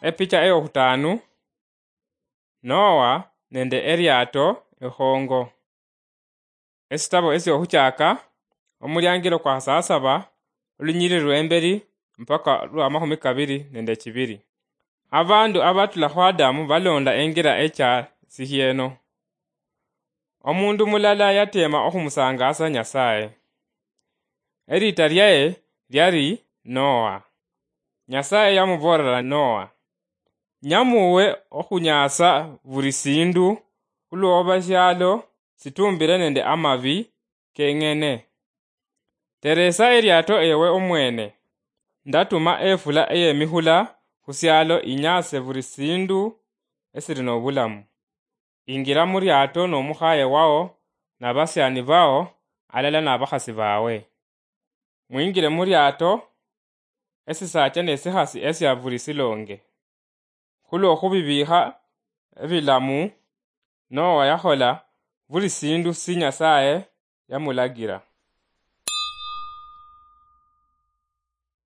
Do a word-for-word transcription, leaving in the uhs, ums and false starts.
Epicha eyokhutaanu, Noa nende eliato ekhongo. Esitabo esiohuchaaka, omuliangilo kwa khasasaba, olunyiriri lwembeli mpaka lwa makhumi kabili nende chibili. Abandu abatula khu Adamu balonda engira echa sihieno. Omundu mulala yatema okhumusangaasa Nyasaye. Eliita lyaye lyali Noa. Nyasaye yamuboolera Noa, "Nyamuwe okhunyaasa buli siindu, khulwoba eshialo situmbile nende amabi keng'ene. Teresa eliato ewe omwene. Ndatuma efula eyemihula khusialo inyaase buli siindu esili nobulamu. Ingira muliato nomukhaye wao nabasiani bao alala nabakhasi bawe. Mwingire muliato, esisaacha nesikhasi esia buli silonge." Khulwokhubibiikha ebilamu, Noa yakhola buli siindu si Nyasaye yamulagira.